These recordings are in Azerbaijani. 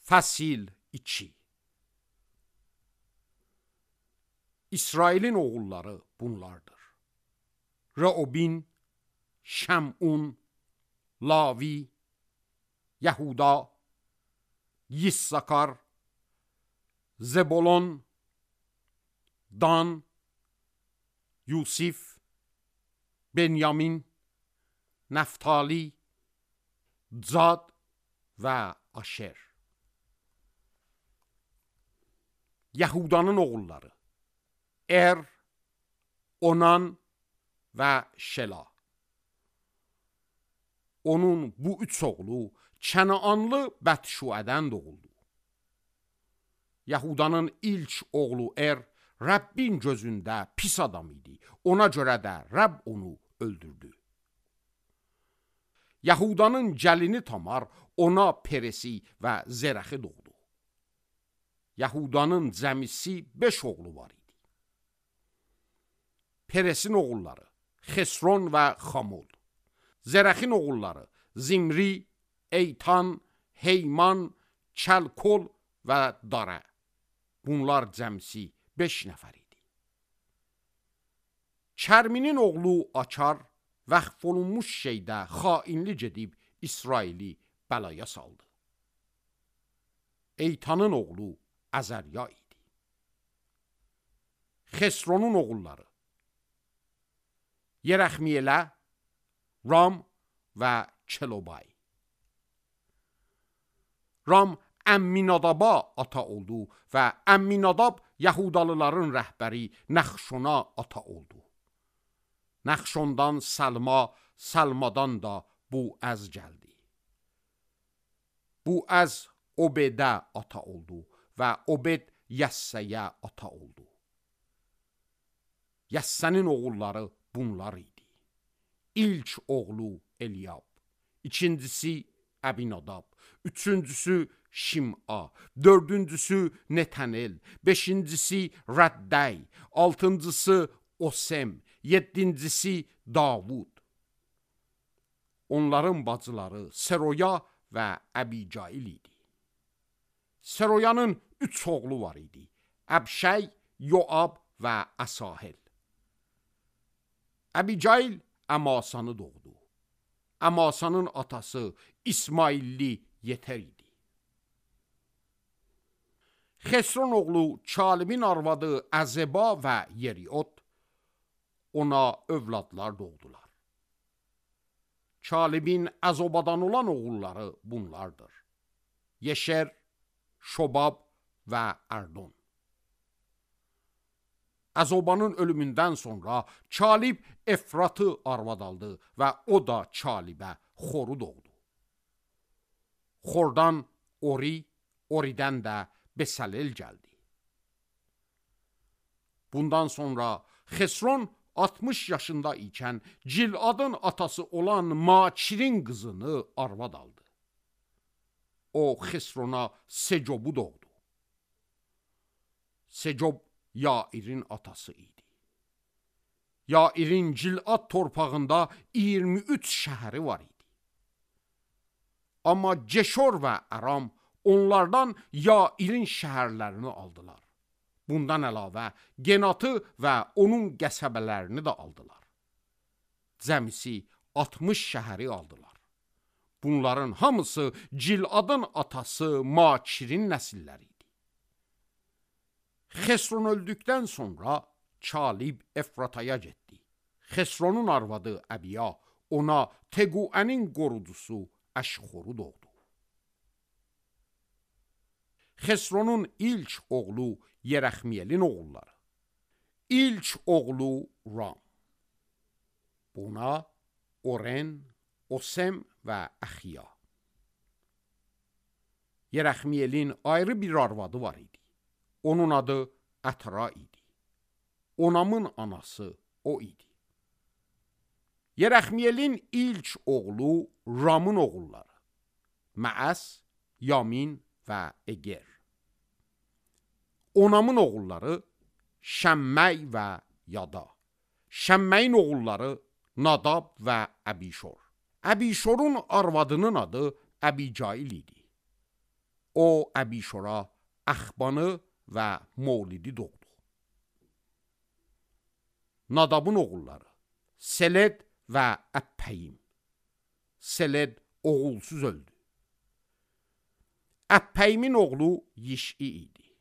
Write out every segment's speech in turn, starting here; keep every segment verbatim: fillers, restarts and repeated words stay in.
Fəsil iki. İsrailin oğulları bunlardır. Reubin, Şəmun, Lavi, Yahuda, Yissakar, Zebulon, Dan, Yusif, Benyamin, Nəftali, Zad və Aşer. Yahudanın oğulları Er, Onan və Şela. Onun bu üç oğlu Kənaanlı Bətşuədən doğuldu. Yahudanın ilk oğlu Er, Rəbbin gözündə pis adam idi. Ona görə də Rəbb onu öldürdü. Yahudanın gəlini Tamar ona Peresi və Zerəxi doğdu. Yahudanın cəmisi beş oğlu var idi. Peresin oğulları Xesron və Xamul. Zerəxin oğulları Zimri, Eytan, Heyman, Kəlkol və Dara. Bunlar cəmsi beş nəfər idi. Kərminin oğlu Akar vəxf olunmuş şeydə xainli gedib İsraili bəlaya saldı. Eytanın oğlu Əzərya idi. Xesronun oğulları Yerəxmiyelə, Ram və Kelobay. Ram Əmminadaba ata oldu və Əmminadab Yahudalıların rəhbəri Nəxşona ata oldu. Nəxşondan Salma, Salmadan da Buəz gəldi. Buəz Obedə ata oldu və Obed Yəssəyə ata oldu. Yəssənin oğulları bunlar idi. İlk oğlu Eliyab, ikincisi Əbinadab, üçüncüsü Şim'a, dördüncüsü Netanel, beşincisi Rəddəy, altıncısı Osem, yedincisi Davud. Onların bacıları Seroya və Əbicail idi. Seroyanın üç oğlu var idi. Əbşəy, Yoab və Əsahel. Əbicail Əmasanı doğdu. Əmasanın atası İsmailli Yeter idi. Xesron oğlu Çalibin arvadı Əzeba və Yeriot ona övladlar doğdular. Çalibin Əzobadan olan oğulları bunlardır. Yeşer, Şobab və Ərdon. Əzobanın ölümündən sonra Çalib Efratı arvad aldı və o da Çalibə Xoru doğdu. Xordan Ori, Oridən də Besalel gəldi. Bundan sonra Xesron altmış yaşında ikən Ciladın atası olan Makirin qızını arvad aldı. O Xesrona Secob'u doğdu. Secob Yairin atası idi. Yairin Cilad torpağında iyirmi üç şəhəri var idi. Amma Ceşor və Aram onlardan Yairin şəhərlərini aldılar. Bundan əlavə Genatı və onun qəsəbələrini də aldılar. Cəmisi altmış şəhəri aldılar. Bunların hamısı Ciladın atası Makirin nəsilləri idi. Xesron öldükdən sonra Çalib Efrataya getdi. Xesronun arvadı Əbiya ona Tequənin qorucusu Əşxoru doğdu. Xesronun ilk oğlu Yerəxmiyelin oğulları. İlk oğlu Ram. Buna Oren, Osem və Əxiya. Yerəxmiyelin ayrı bir arvadı var idi. Onun adı Ətara idi. Onamın anası o idi. Yerəxmiyelin ilk oğlu Ramın oğulları. Məəs, Yamin və Eger. Onamın oğulları Şəmməy və Yada. Şəmməyin oğulları Nadab və Əbişor. Əbişorun arvadının adı Əbicail idi. O Əbişora Əxbanı və Mavlidi doğdu. Nadabın oğulları Seled və Əppəyim. Seled oğulsuz öldü. Əppäyimin oğlu Yiş'i idi.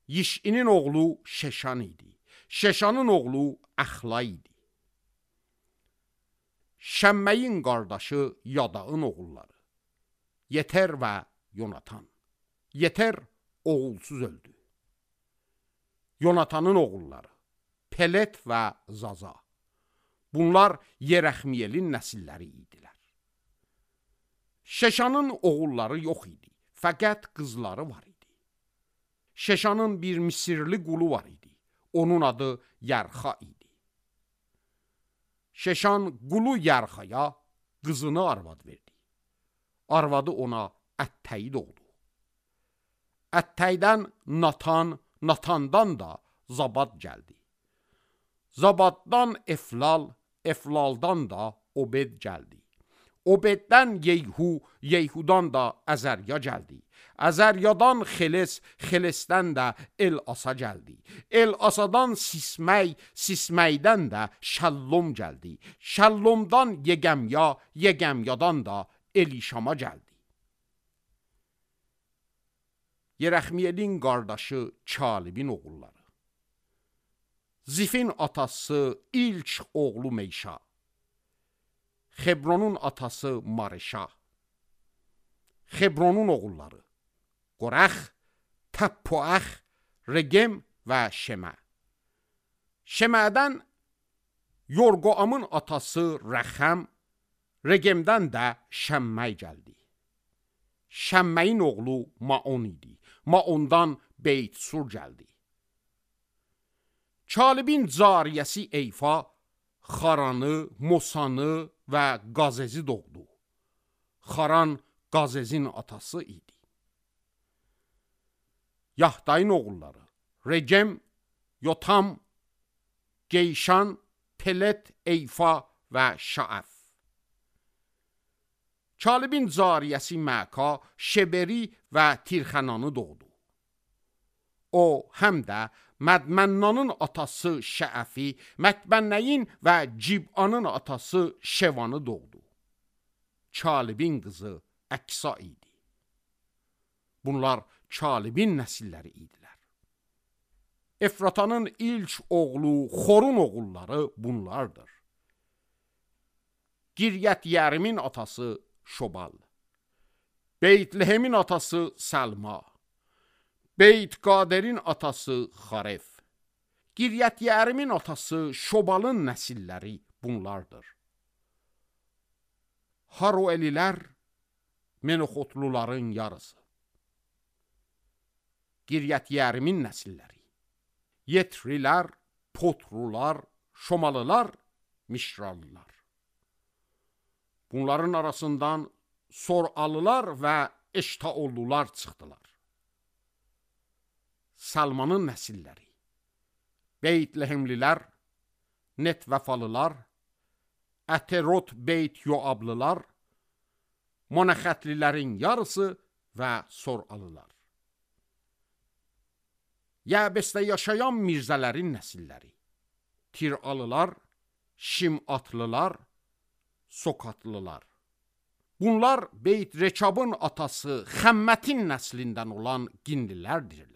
Yiş'inin oğlu Şeşan idi. Şeşanın oğlu Əxla idi. Şəmməyin qardaşı Yadağın oğulları Yeter və Yonatan. Yeter oğulsuz öldü. Yonatanın oğulları Pelet və Zaza. Bunlar Yerəxmiyelin nəsilləri idilər. Şeşanın oğulları yox idi, fəqət qızları var idi. Şeşanın bir Misirli qulu var idi. Onun adı Yərxa idi. Şeşan qulu Yərxaya qızını arvad verdi. Arvadı ona Ətteyi doğdu. Ətteydən Natan, Natandan da Zabad gəldi. Zabaddan Eflal, Eflaldan da Obed gəldi. Obeddən Yeyhu, Yeyhudan da Əzərya gəldi. Əzəryadan Xeles, Xelesdən də El-Asa gəldi. El-Asadan Sisməy, Sisməydən də Şəllom gəldi. Şəllomdan Yegəmya, Yegəmyadan da Elişama gəldi. Yerəxmiyelin qardaşı Kalibin oğulları. Zifin atası İlç oğlu Meyşa. Xebronun atası Mareşa. Xebronun oğulları Qorax, Təppuax, Regem və Şemə. Şemədən Yorqoamın atası Rəxəm, Regemdən də Şəmməy gəldi. Şəmməyin oğlu Maon idi. Maondan Beytsur gəldi. Kalibin cariyəsi Eyfa, Xaranı, Mosanı və Qazezi doğdu. Xaran Qazezin atası idi. Yahdayın oğulları Recem, Yotam, Geyşan, Pelet, Eyfa və Şaəf. Kalibin cariyəsi Məka, Şeberi və Tirxənanı doğdu. O, həm də Mədmənnanın atası Şəəfi, Mətbənnəyin və Cib'anın atası Şevanı doğdu. Kalibin qızı Əksa idi. Bunlar Kalibin nəsilləri idilər. Efratanın ilk oğlu Xorun oğulları bunlardır. Giryət Yərimin atası Şobal. Beytlehemin atası Səlma. Beyt Qaderin atası Xaref. Giryət Yərimin atası Şobalın nəsilləri bunlardır. Haroelilər Menoxotluların yarısı. Giryət Yərimin nəsilləri Yetrilər, Potrular, Şomalılar, Mişralılar. Bunların arasından Soralılar və Eştaollular çıxdılar. Salmanın nəsilləri Beytlehemlilər, Netvəfalılar, Əterot Beyt Yoablılar, Monaxətlilərin yarısı və Soralılar. Yəbəsdə yaşayan mirzələrin nəsilləri Tiralılar, Şimatlılar, Sokatlılar. Bunlar Beyt Rekabın atası Xəmmətin nəslindən olan Ginlilərdir.